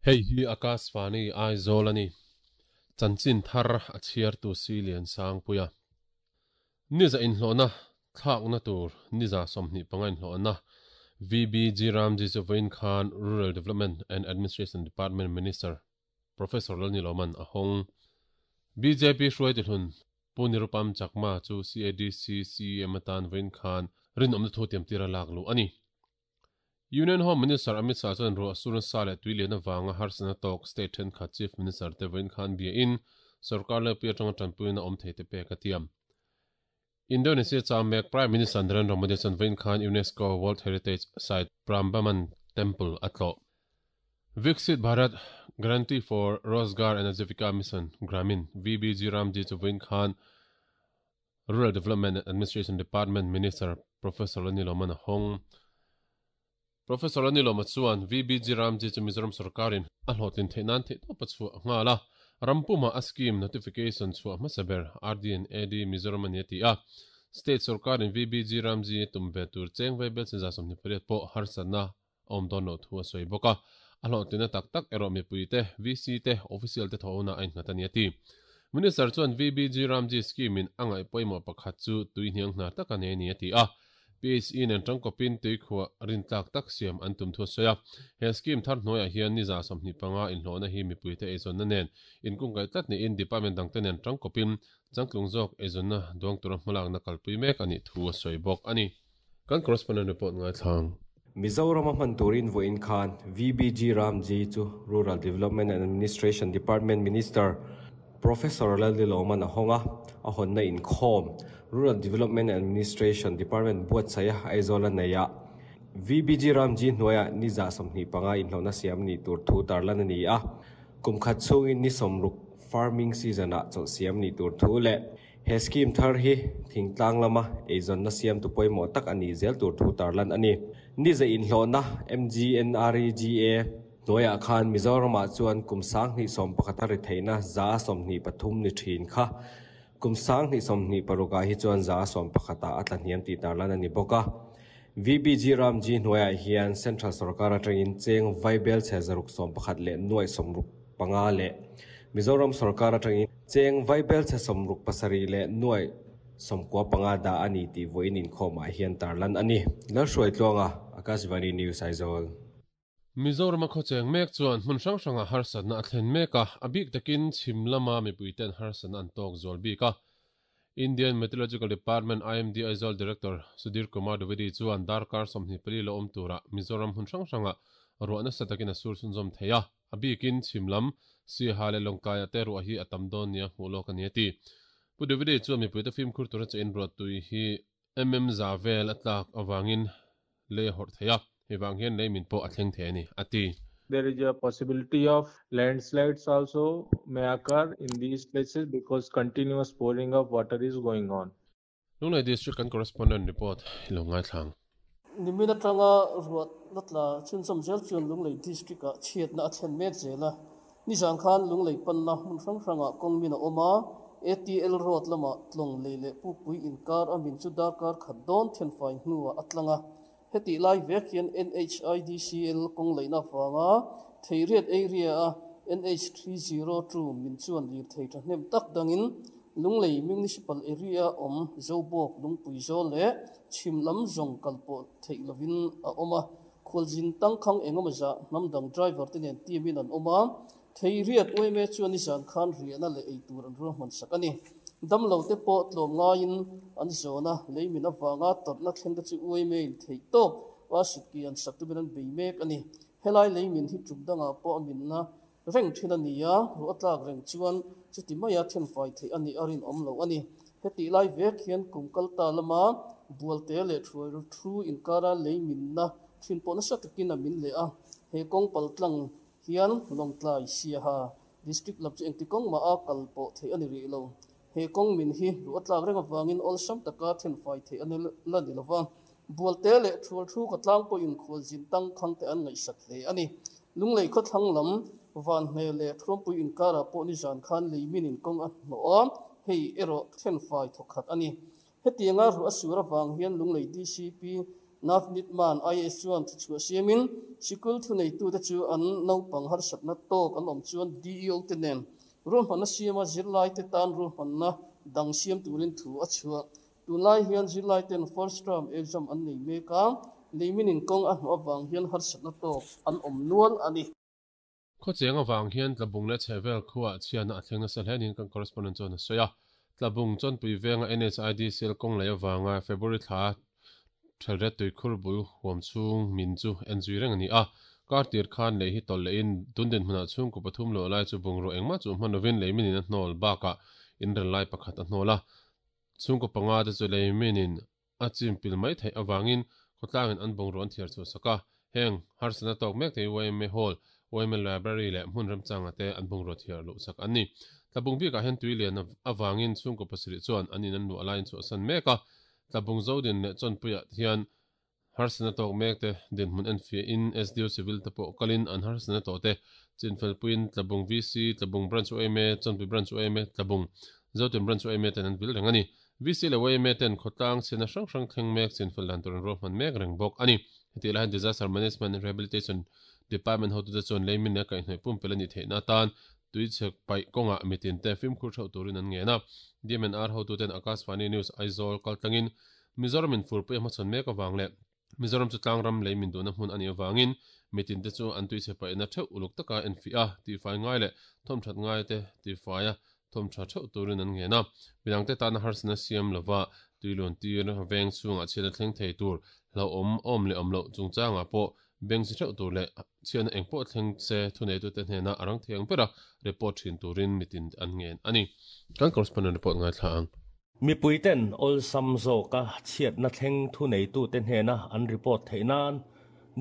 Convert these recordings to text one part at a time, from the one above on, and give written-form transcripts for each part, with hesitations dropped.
Hei hi Akashvani Aizawl a ni. Chanchin thar a chhiartu si Liansangpuia. Niza inhlawhna thlakna tur niza 25 inhlawhna VBG Ramji chu vawiin khan Rural Development and Administration Department Minister Professor Lalniloman a hawng. Bjp hruaitu hlun Pu Nirupam Chakma chu CADC CEM atan vawiin khan rinawmna thu tiamtir a lak luh a ni. Union Home Minister Amit Shah chuan ruah sur nasa leh tui lian avanga harsatna tawk state thenkhat Chief Minister te vawiin khan bia in sorkar lepui atanga tanpuina awm thei te pek a tiam. Indonesia chang mek Prime Minister Narendra Modi chuan vawiin khan UNESCO World Heritage Site Prambanan Temple a tlawh. Viksit Bharat Guarantee for Rozgar and Ajivika Mission, Gramin, VBG Ramji chu vawiin khan Rural Development and Administration Department Minister Professor Laniloman a hawng. Professor Laniloma chuan VBG Ramji chu Mizoram sorkarin a hlawhtlin theih nan theihtawp a chhuah nghal a, ram puma a scheme notification chhuah hmasa ber RD and AD Mizoram a ni a ti a. State sorkarin VBG Ramji tum ve tur cheng vei bel 28 pawh harsatna a awm dawn loh thu a sawi bawk a, a hlawhtlinna tak tak erawh mipuite, VC te, official te thawhna a innghat a ni a ti. Minister chuan VBG Ramji scheme in a ngaih pawimawh pakhat chu tui hniang hnar tak a nei a ni a ti a, PHE nen tangkawpin tuikhuah rintlak tak siam an tum thu a sawi a. He scheme thar hnuaiah hian ni 25 inhlawhna hi mipuite eizawnna nen inkungkaih tlat niin department dangte nen tangkawpin changtlung zawk eizawnna duang tura hmalakna kalpui mek a nih thu a sawi bawk a ni. Kan correspondent report ngaithlang. Mizoram a hman turin vawiin khan VBG Ramji chu Rural Development and Administration Department Minister Professor Lalniloman a hawng a, a hawnna inkhawm Rural Development and Administration Department buatsaih a Aizawl a nei a. VBG Ramji hnuaiah ni 25 inhlawhna siam ni tur thu tarlan a ni a, kum khat chhungin ni 60 farming season-ah chawlh siam ni tur thu leh He scheme thar hi thingtlang lama eizawnna siamtu pawimawh tak a nih zel tur thu tarlan a ni. Ni za inhlawhna MGNREGA hnuaiah khan Mizoramah chuan kum 2011 a ri theihna 23 ni thin kha kum 2026 ah hi chuan 11 ah a tlahniam tih tarlan a ni bawk a. VBG Ramji hnuaiah hian Central sorkar atangin cheng vaibel chhe 611 leh nuai 65 leh Mizoram sorkar atangin cheng vaibel chhe 67 leh nuai 95 dah a ni tih vawiin inkhawmah hian tarlan a ni. Lalhruaitluanga, Akashvani News, Aizawl. Mizoram a khawcheng mek chuan hmun hrang hrangah harsatna a thlen mek a, a bik takin chhim lama mipuiten harsatna an tawk zual bik a. Indian Meteorological Department, IMD, Aizawl Director Sudhir Kumar Dwivedi chuan darkar 24 la awm turah Mizoram hmun hrang hrangah ruah nasa takin a sur chhunzawm thei a, a bikin chhim lam Siaha leh Lawngtlaiah te ruah hi a tam dawn nia hmuh lawk a ni a ti. Pu Dwivedi chuan mipuite fimkhur tura che inruah tui hi mm za vel a tlak avangin lei a hawrh thei a, hei vang hian lei min pawh a thleng thei a ni, a ti. There is a possibility of landslides also may occur in these places because continuous pouring of water is going on. Lunglei District kan correspondent report i lo ngaithlang. Nimin atanga ruah la tla chhunzawm zel chuan Lunglei District-ah chhiatna a thlen mek zel a. Nizan khan Lunglei panna hmun hrang hrangah kawng min a awm a, ATL Road lamah tlawng lei leh Pukpui inkar a min chu darkar khat dawn thenfai hnuah a tlang a. Hetih lai vek hian NHIDCL kawng leihna avanga Theiriat area-a NH 302 min chuan lirthei thahnem tak dangin Lunglei Municipal Area awm Zobawk Lungpui Zawl leh chhim lam zawng kal pawh theih lovin a awm a. Khualzin tangkhang engemaw zah hnam dang driver te nen team in an awm a, Theiriat yma chuan nizan khan riahna leh ei tur an ruahman sak a ni. Damlo te pawh tlawm ngaiin an zawn a, lei min avanga tawrhna thleng te chu yma in theih tawp a sutki an sak tumin an bei mek a ni. Helai lei min hi tum dangah pawh a minna reng thin a ni a, ruah a tlak reng chuan chuti maia thenfai theih a nih a rinawm lo a ni. Hetih lai vek hian kum kal ta lama Bualte leh Thuai thu inkara lei minna thin pawh nasa takin a min leh a, he kawng paltlang hian Lawngtlai Siaha District lam chu engti kawng mah a kal pawh theih a ni rih lo. He kawng min hi ruah a tlak reng avangin awlsam taka thenfai theih a la ni lova, Bualte leh Thual thu ka tlang pawhin khualzin tangkhang te an ngaihsak hle a ni. Lunglei khawthlang lam Vanhne leh Thuampui inkarah pawh nizan khan lei min in kawng a hnawh a, hei erawh thenfai thawkhat a ni. Hetianga ruah a sur avang hian Lunglei DCP Navneet Mann IAS chuan thuchhuah siamin sikul thuneitute chu an naupang harsatna tawk an awm chuan DEO te nen ruahmanna siama zirlaite tan ruahmanna dang siam turin thu a chhuah. Tunlai hian zirlaiten first term exam an nei mek a, leiminin kawng a hnawh avang hian harsatna tawk an awm nual a ni. Khawcheng avang hian Tlabung leh Chhehvel khuaah chhiatna a thleng nasa hle niin kan correspondent chuan a sawi a. Tlabung Chawnpui venga NHID sel kawng lei avanga February thla Thelret tuikhur bul huam chhung min chu en zui reng a ni a. Kar tir khan lei hi tawlh lehin tundin hmunah chhungkaw pathum luah lai chu bungraw engmah chu hman lovin lei minin a hnawl bakah inrel lai pakhat a hnawl a. Chhungkaw panga te chu lei minin a chim pil mai theih avangin khawtlangin an bungraw an thiar chhuah sak a. Heng harsatna tawk mek te hi yma Hall, yma Library leh hmun remchanga te an bungraw thiar luh sak an ni. Tlabung bikah hian tui lian avangin chhungkaw pasarih chuan an in an luah laiin chhuahsan mek a. Tlabung Zodin leh Chawnpuiah hian harsatna tawk mek te dinhmun enfiahin SDO Civil te pawh kalin an harsatna tawh te chinfelpuiin Tlabung VC, Tlabung Branch yma, Chawnpui Branch yma, Tlabung Zodin Branch yma ten an vil reng a ni. VC leh yma ten khawtlang chhiatna hrang hrang thleng mek chinfel dan tur an ruahman mek reng bawk a ni. Hetiang lai hian Disaster Management and Rehabilitation Department hotute chuan leimin leh kaihhnawih pumpelh a nih theihna atan tuichhek paih kawngah mitin te fimkhur theuh turin an ngen a. DMNR hotuten Akashvani News Aizawl kaltlangin Mizoram in furpui a hmachhawn mek avang leh Mizoram chu tlangram lei min duhna hmun a nih avangin mitin te chu an tuichhe paihna theuh uluk taka enfiah a, tihfai ngai leh thawmthat ngai te tihfai a thawmtha theuh turin an ngen a. Midangte tana harsatna siam lova tuiluan tir veng chhungah chhiatna thleng thei tur hlauhawm awm leh awm loh chungchangah pawh beng chi theuh tur leh chhiatna eng pawh thleng se thuneitute hnena a rang thei ang bera report thin turin mitin an ngen a ni. Kan correspondent report ngaithla ang. Mipuiten awlsam zawka chhiatna thleng thuneitute hnena an report theih nan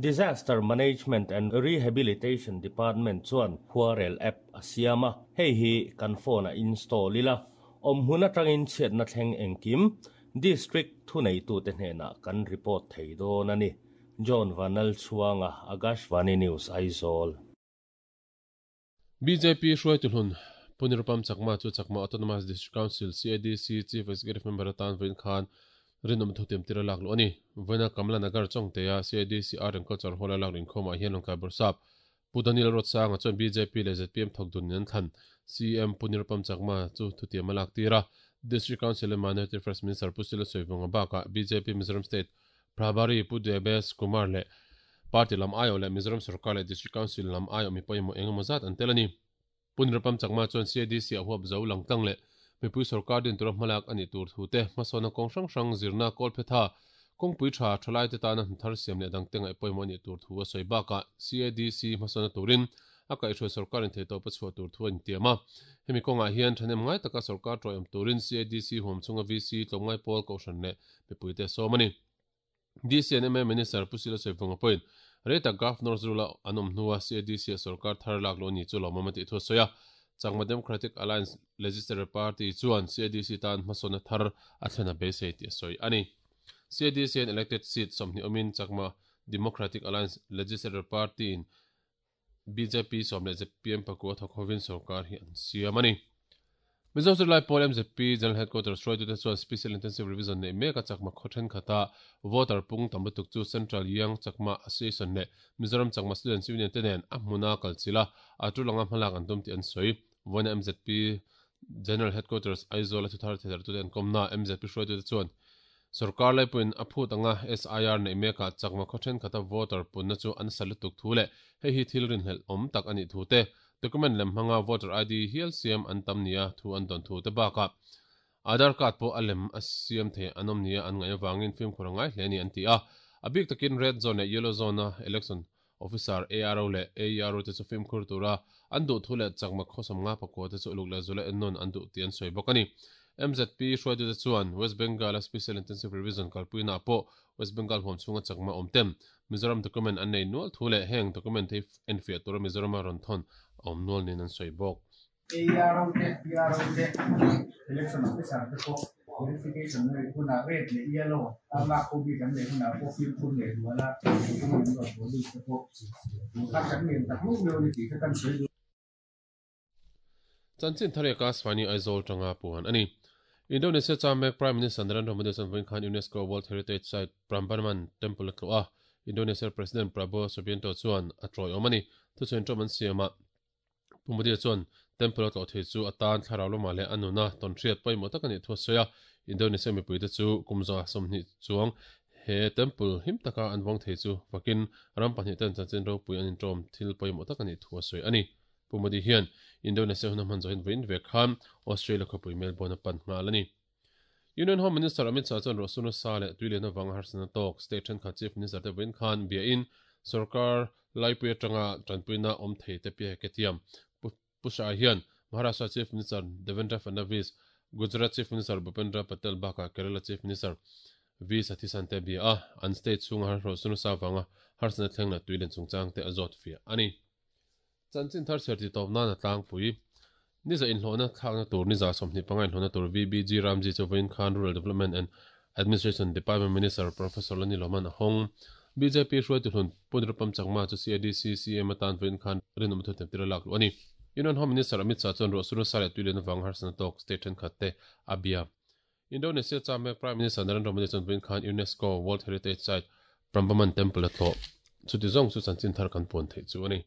Disaster Management and Rehabilitation Department chuan khuarel app a siam a, hei hi kan phone-ah install ila, awmhmun atangin chhiatna thleng engkim District thuneitute hnenah kan report thei dawn a ni. John Vanlalchhuanga, Akashvani News, Aizawl. Bjp hruaitu hlun Pu Nirupam Chakma chu Chakma Autonomous District Council, CADC, Chief Executive Member atan vawiin khan rinawm thutiam tir a lak luh a ni. Vawiina Kamla Nagar Chawngtea CADC Art and Culture Hall a lak luh inkhawmah hian Lawngtlai Bawrhsap Pu Daniel Ruatsanga chuan bjp leh zpm thawk dun in an thlan CM Pu Nirupam Chakma chu thutiam a lak tir a. District Council leh Minority Affairs Minister Pu Sila Sawivunga bakah bjp Mizoram State Prabhari Pu Debesh Kumar leh Party lam aiawh leh Mizoram Sorkar leh District Council lam aiawh mi pawimawh eng emaw zat an tel a ni. Pu Nirupam Chakma chuan CADC a huap zo lang tlang leh mipui sorkar din tura hmalak a nih tur thu te, hmasawnna kawng hrang hrang zirna kawlphetha, kawngpui tha, thalaite tana hnathar siam leh dangte ngaih pawimawh a nih tur thu a sawi bakah CADC hmasawnna turin a kaihhruai sorkar intheihtawp a chhuah tur thu a intiam a. Hemi kawngah hian thahnem ngai taka sorkar tawihawm turin CADC huam chhunga VC tlawmngai pawl kohhran leh mipuite a sawm a ni. DC and MA Minister Pu Sila Sawivunga pawhin rei tak Governor Zurula an awm hnua CADC a sorkar thar lak loh ni chu lawmawm a tih thu a sawi a. Chakma Democratic Alliance Legislature Party chuan CADC tan hmasawnna thar a thlen a beisei tih a sawi a ni. CADC an elected seat 20 awmin Chakma Democratic Alliance Legislature Party in Bjp sawm leh zpm pakua thawk hovin sorkar hi an siam a ni. Mizo Zirlai Pawl mzp General Headquarters hruaitute chuan Special Intensive Revision neih mek a Chakma khaw thenkhat a voter pung tam lutuk chu Central Young Chakma Association leh Mizoram Chakma Students Union te nen a hmuna kal chilh a, a tul anga hmalak an tum tih an sawi. Vawiina mzp General Headquarters Aizawl a thuthar theidartute an kawmna mzp hruaitute chuan Sorkar laipuiin a phut anga SIR neih mekah chakma khaw thenkhat a voter punna chu an sa lutuk thu leh hei hi thil rinhlelh awm tak a nih thu te, document lem hmanga voter ID hial siam an tam nia thu an dawn thu te bakah Aadhaar card pawh a lem a siam thei an awm nia an ngaih avangin fimkhur a ngai hle a ni an ti a. A bik takin red zone leh yellow zone a election officer ARO leh AERO te chu fimkhur tura an duh thu leh chakma khawsam nga pakua te chu uluk leh zula ennawn an duh tih an sawi bawk a ni. MZP hruaitute chuan West Bengal-a Special Intensive Revision kalpuinaah pawh West Bengal huam chhunga chakma awm tem Mizoram document an nei nual thu leh heng document hi enfiah tura Mizorama rawn thawn a awm nual niin an sawi bawk. ARO te, PRO te, Election Officer te pawh verification na neih hunah red leh yellow a lak ho bik an neih hunah pawh fimkhur leh dual a mipui an rawn haw bik te pawh kha kan ngen tak meuh meuh a ni tih kha kan sawi duh. Chanchin thar eka Svani Aizawl tanga puan a ni. Indonesia cham mek Prime Minister Narendra Modi chuan vawiin khan UNESCO World Heritage Site Prambanan Temple a tlawh a, Indonesia President Prabowo Subianto chuan a tawiawm a ni. Thuchhuin ṭawm an siamah Pu Modi chuan Temple a tlawh thei chu a tan thlarau lamah leh a nuna tawnhriat pawimawh tak a nih thu a sawi a, Indonesia mipuite chu kum 120 chuang he Temple him taka an vawng thei chu fakin ram pahnihten chanchin ropui an inṭawm thil pawimawh tak a nih thu a sawi a ni. Pu Modi hian Indonesia hun a hman zawhin vawiin ve khan Australia khawpui Melbourne a pan nghal a ni. Union Home Minister Amit Shah chuan ruahsur nasa leh tui lian avanga harsatna tawk state thenkhat Chief Minister te vawiin khan biain sorkar laipui atanga tanpuina awm thei te piah ke tiam. Pu Shah hian Maharashtra Chief Minister Devendra Fadnavis, Gujarat Chief Minister Bhupendra Patel bakah Kerala Chief Minister V Sathisan te bia a, an state chhunga ruahsur nasa avanga harsatna thleng leh tui lian chungchang te a zawt fiah a ni. Chanchin thar chhiar tih tawp nan a tlangpui. Niza inhlawhna thlakna tur niza 25 inhlawhna tur VBG Ramji chu vawiin khan Rural Development and Administration Department Minister Professor Lani Loman a hawng. Bjp hruaitu hlun Pu Nirupam Chakma chu CADC CM atan vawiin khan rinawm thuthleng tir a lak luh a ni. Union Home Minister Amit Shah chuan ruahsur nasa leh tuilian avanga harsatna tawk state thenkhat te a bia. Indonesia cham mek Prime Minister Narendra Modi chuan vawiin khan UNESCO World Heritage Site Prambanan Temple a tlawh. Chuti zawng chu chanchin thar kan puan theih chu a ni.